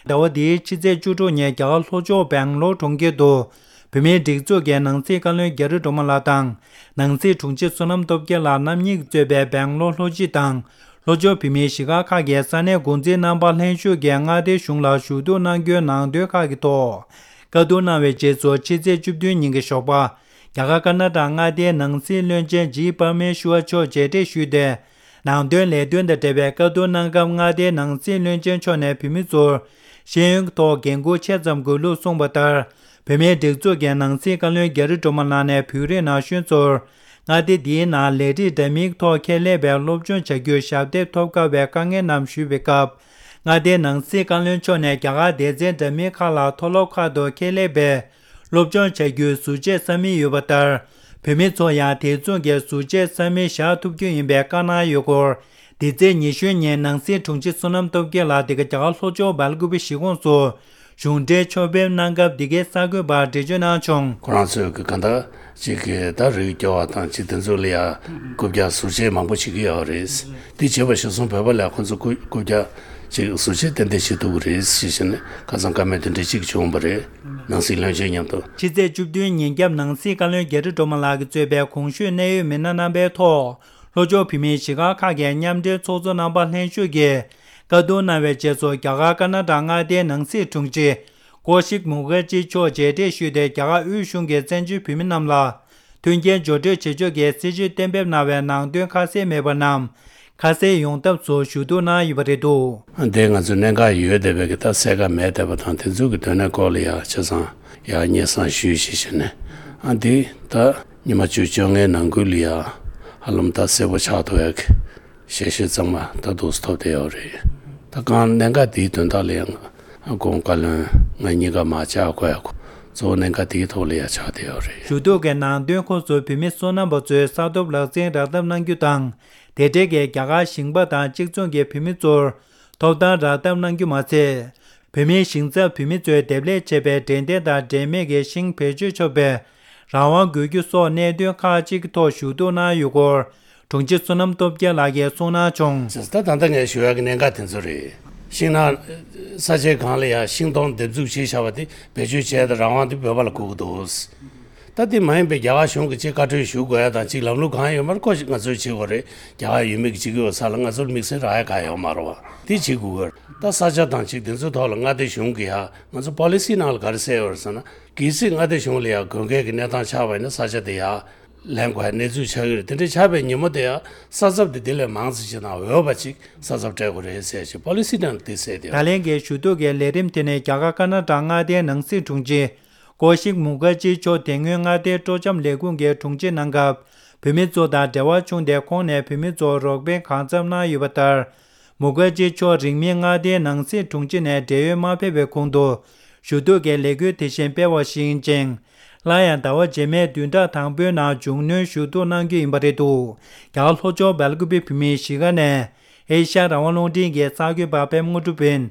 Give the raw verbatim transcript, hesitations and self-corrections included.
ཟླ་བ་འདིའི་ཕྱི་ཚེས་བཅུ་དྲུག་ཉིན་རྒྱ་གར་ལྷོ་ཕྱོགས་སྦེང་ལོར་གྲོང་ཁྱེར་དུ་བོད་མིའི་སྒྲིག་འཛུགས་ཀྱི་ནང་སྲིད་བཀའ་བློན་རྒྱ་རི་སྒྲོལ་མ་ལགས་དང་ནང་སྲིད་དྲུང་ཆེ་བསོད་ནམས་སྟོབས་རྒྱལ་ལགས་རྣམ་གཉིས་ཀྱིས་གཙོས་པའི་སྦེང་ལོར་ལྷོ་སྤྱི་དང་ལྷོ་ཕྱོགས་བོད་མིའི་གཞིས་སྒར་ཁག་གི་ས་གནས་འགོ་འཛིན་རྣམ་པ་ལྷན་ཞུགས་ཀྱིས་མངའ་སྡེའི་གཞུང་ལ་ཞུ་གཏུག་གནང་རྒྱུའི་ནང་དོན་ཁག་གི་ཐོག་བཀའ་བསྡུར་གནང་བའི་རྗེས་སུ་ཕྱི་ཚེས་བཅུ་བདུན་ཉིན་གྱི་ཞོགས་པ། རྒྱ་གར་ཀར་ནཱ་ཊ་མངའ་སྡེའི་ནང་སྲིད་བློན་ཆེན་ཇི་པར་མེ་ཤུ་ཝར་མཆོག་མཇལ་འཕྲད་ཞུས་ཏེ། ནང་དོན་ལས་དོན་དང་འབྲེལ་བའི་བཀའ་བསྡུར་གནང་སྐབས་མངའ་སྡེའི་ནང་སྲིད་བློན་ཆེན་མཆོག་ནས་བོད་མི་ཚོར་ཤེས་ཡོན་ཐོག་འགན་འཁུར་ཆེ་ཙམ་དགོས་ལུགས་གསུངས་པ་ལྟར། བོད་མིའི་སྒྲིག་འཛུགས་ཀྱི་ནང་སྲིད་བཀའ་བློན་རྒྱ་རི་སྒྲོལ་མ་ལགས་ནས་བོད་རིགས་ན་གཞོན་ཚོར་མངའ་སྡེ་འདིའི་ནང་ལས་རིགས་འདྲ་མིན་ཐོག་ཁྱད་ལས་པའི་སློབ་སྦྱོང་བྱ་རྒྱུར་ཞབས་འདེགས་ཐོབ་དཀའ་བའི་དཀའ་ངལ་རྣམས་ཞུས་པའི་སྐབས། མངའ་སྡེའི་ནང་སྲིད་བཀའ་བློན་མཆོག་ནས་རྒྱ་གར་སྡེ་ཚན་འདྲ་མིན་ཁག་ལ་མཐོ་སློབ་ཁག་ཏུ་ཁྱད་ལས་པའི་སློབ་སྦྱོང་བྱ་རྒྱུའི་ཟུར་བཅད་ས་མིག་ཡོད་པ་ལྟར། བོད་མི་ཚོ་ཡང་དེ་མཚུངས་ཀྱི་ཟུར་བཅད་ས་མིག་བཞག་ཐུབ་རྒྱུ་ཡིན་པའི་བཀའ་གནང་ཡོད་སྐོར། འདི་ཚེས་ཉི་ཤུ་ཉིན་ནང་སྲིད་དྲུང་ཆེ་བསོད་ནམས་སྟོབས་རྒྱལ་ལགས་འདི་ག་རྒྱ་གར་ལྷོ་ཕྱོགས་སྦེལ་ཀུ་པེ་གཞིས་ཁོངས་སུ་གཞུང་འབྲེལ་ཕྱོགས་ཕེབས་གནང་སྐབས་འདི་གའི་གསར་འགོད་པར་འགྲེལ་བརྗོད་གནང་བྱུང་། ཁོ་རང་ཚོས་ཀྱི་གང་ལྟར་ཅིག་གི་ད་རིགས་སྐྱོ་བ་དང་ཅིག་དེ་ཚོ་ལ་ཡ་རྐུབ་བཀྱག་ཟུར་བཅད་མང་པོ་བྱེད་ཀྱི་ཡོད་རེད། དེ་བྱས་པ་གཞིར་བཟུང་བོད་པ་ལ་ཁོ་ཚོ་རྐུབ་རྐུབ་བཀྱག་ཅིག་ཟུར་བཅད་ཏན་ཏན་བྱེད་ཐུབ་ཀྱི་རེད་ཞེས་བཤད་ནས་ཁ་སང་བཀའ་མོལ་དེ་འདྲ་ཅིག་བྱུང་བ་རེད། ནང་སྲིད་བློན་ཆེན་མཉམ་དུ། ཕྱི་ཚེས་བཅུ་བདུན་ཉིན་རྒྱབ་ནང་སྲིད་བཀའ་བློན་རྒྱ་རི་སྒྲོལ་མ་ལགས་ཀྱིས་གཙོས་པའི་གོང་ཞུས་གནད་ཡོད་མི་སྣ་རྣམ་པའི་ཐོག་ལྷོ་ཕྱོགས་བོད་མིའི་གཞིས་སྒར་ཁག་གི་མཉམ་འབྲེལ་ཚོགས་གཙོ་རྣམ་པ་ལྷན་ཞུགས་ཀྱིས་བཀའ་བསྡུར་གནང་བའི་རྗེས་སུ། རྒྱ་གར་ཀར་ནཱ་ཊ་མངའ་སྡེའི་ནང་སྲིད་དྲུང་ཆེ་ཀོ་ཤིག་མུ་ཁར་ཇི་མཆོག་མཇལ་འཕྲད་ཞུས་ཏེ། རྒྱ་གར་དབུས་གཞུང་གིས་བཙན་བྱོལ་བོད་མི་རྣམས་ལ་མཐུན་རྐྱེན་སྦྱོར་སྤྲོད་བྱེད་ཕྱོགས་ཀྱི་སྲིད་བྱུས་གཏན་འབེབས་གནང་བའི་ནང་དོན་ཁ་གསལ་མེད་པ་རྣམས་ཁ་གསལ་ཡོང་ཐབས་སུ་ཞུ་གཏུག་གནང་ཡོད་པ་རེད་འདུག། དེ་ང་ཚོའི་གནད་འགག་ཡོད་བསྡད་པའི་གི་ད་གསལ་ཁ་མེད་བསྡད་པ་དང་། དེ་ཚོའི་གི་དོན་གནད་སྐོར་ལ་ཡ་ཆ་ཚང་ཡ་སྙན་སེང་ཞུས་ཞེས་བྱས་ནས། ཨ་འདི་ད་ཉི་མ་བཅུ་བཅོ་ལྔའི་ནང་ཁུལ་ལ་ཡ་ཧ་ལམ་ད་གསལ་པོ་ཆགས་ཐུབ་ཡ་གི་ཞལ་བཞེས་གཙང་མ་ད་འདུག་སེ་ཐོབ་བསྡད་ཡོད་རེད། ད་གང་གནད་འགག་འདིའི་དོན་དག་ལ་ཡང་ཁོང་བཀའ་བློན་ང་གཉིས་ཀ་མར་བཅར་དགོས་ཡ་གཙོ་བོ་གནད་འགག་འདིའི་ཐོག་ལ་ཡ་ཆགས་བསྡད་ཡོད་རེད། ཞུ་གཏུག་གི་ནང་དོན་ཁོངས་སུ་བོད་མི་སོ་ནམ་པ་ཚོའི་ས་ཐོབ་ལག་འཛིན་རག་ཐབས་གནང་རྒྱུ་དང་། དེ་འབྲེལ་གྱི་རྒྱ་གར་ཞིང་པ་དང་གཅིག་མཚུངས་ཀྱི་བོད་མི་ཚོར་ཐོབ་ཐང་རག་ཐབས་གནང་རྒྱུ་མ་ཚད། བོད་མིའི་ཞིང་ཚབ་བོད་མི་ཚོས་འདེབས་ལས་བྱས་པའི་འབྲས་ལྡན་དང་འབྲས་མེད་ཀྱི་ཤིང་བེད་སྤྱོད་ཆོག་པའི་རང་དབང་དགོས་རྒྱུ་སོགས་གནད་དོན་ཁག་ཅིག་གི་ཐོག་ཞུ་གཏུག་གནང་ཡོད་སྐོར། དྲུང་ཆེ་བསོད་ནམས་སྟོབས་རྒྱལ་ལགས་ཀྱིས་གསུངས་གནང་བྱུང་། ད་ད་ལྟ་ངས་ཞུ་ཡག་གི་གནད་འགག་དེ་ཚོ་རེད། ཤིང་ནགས་ས་ཆའི་སྒང་ལ་ཡ་ཤིང་སྡོང་འདེབས་འཛུགས་བྱས་བཞག་པ་དེ་བེད་སྤྱོད་བྱས་ཏེ་རང་དབང་དེ་བོད་པ་ལ་དགོས་ཀྱི་འདུག། ད་དེ་མ་ཡིན་པའི་རྒྱ་གར་གཞུང་གིས་ཅིག་བཀའ་འཁྲོལ་ཞུ་དགོས་ཡ་དང་ཅིག་ལམ་ལུགས་གང་ཡོད་མ་རེད། ཁོ་ང་ཚོས་བྱེད་དགོས་རེད། རྒྱ་གར་ཡུལ་མི་གིས་བྱེད་ཀྱི་ཡོད་ས་ལ་ང་ཚོར་དམིགས་བསལ་རག་ཡ་གང་ཡོད་མ་རེད་བ། དེ་བྱེད་དགོས་ཀྱི་རེད། ད་ས་ཆ་དང་ཅིག་དེ་ཚོའི་ཐོག་ལ་མངའ་སྡེ་གཞུང་གིས་ཡ་ང་ཚོ་པོ་ལི་སི་ནང་ལ་ག་རེ་གསལ་ཡོད་རེད་ཟེར་ན། གལ་སྲིད་མངའ་སྡེ་གཞུང་ལ་ཡ་དགོས་གལ་གྱི་གནས་སྟངས་ཆགས་པ་ཡིན་ན་ས་ཆ་དེ་ཡ་ལེན་དགོས་ཡ་གནས་ཚུལ་ཆགས་ཀྱི་རེད། དེ་འདྲ་ཆགས་པའི་ཉིན་མོ་དེ་ཡ་ས་ཚབ་དེ་དེ་ལས་མང་ཙམ་ཅིག་དང་འོས་པ་ཅིག་ས་ཚབ་སྤྲད་དགོས་རེད་ཟེར་ཞིག་པོ་ལི་སི་ནང་དེ་གསལ་དེ་ཡོད། ད་ལན་གྱི་ཞུ་གཏུག་གི་ལས་རིམ་དེ་ནི་རྒྱ་གར་ཀར་ནཱ་ཊ་མངའ་སྡེའི་ནང་སྲིད་དྲུང་ཆེ་ཀོ་ཤིག་མུ་ཁར་ཇི་མཆོག་དེ་སྔོན་མངའ་སྡེའི་སྤྲོ་འཆམ་ལས་ཁུངས་ཀྱི་དྲུང་ཆེ་གནང་སྐབས། བོད་མི་ཚོ་དང་འབྲེལ་བ་བྱུང་སྟེ། ཁོང་ནས་བོད་མི་ཚོར་རོགས་ཕན་གང་འཚམ་གནང་ཡོད་པ་ལྟར། མུ་ཁར་ཇི་མཆོག་རིང་མིན་མངའ་སྡེའི་ནང་སྲིད་དྲུང་ཆེ་ནས་བགྲེས་ཡོལ་མ་ཕེབས་པའི་གོང་དུ་ཞུ་གཏུག་གི་ལས་འགུལ་དེ་བཞིན་སྤེལ་བ་ཞིག་ཡིན་ཅིང་། སླར་ཡང་ཟླ་བ་རྗེས་མའི་བདུན་ཕྲག་དང་པོའི་ནང་མཇུག་སྣོན་ཞུ་གཏུག་གནང་རྒྱུ་ཡིན་པ་རེད་འདུག། རྒྱ་གར་ལྷོ་ཕྱོགས་སྦེལ་ཀུ་པེ་བོད་མིའི་གཞིས་ཀ་ནས་ཨེ་ཤ་ཡ་རང་དབང་རླུང་འཕྲིན་གྱི་གསར་འགོད་པ་པད་མ་དངོས་གྲུབ་ཡིན།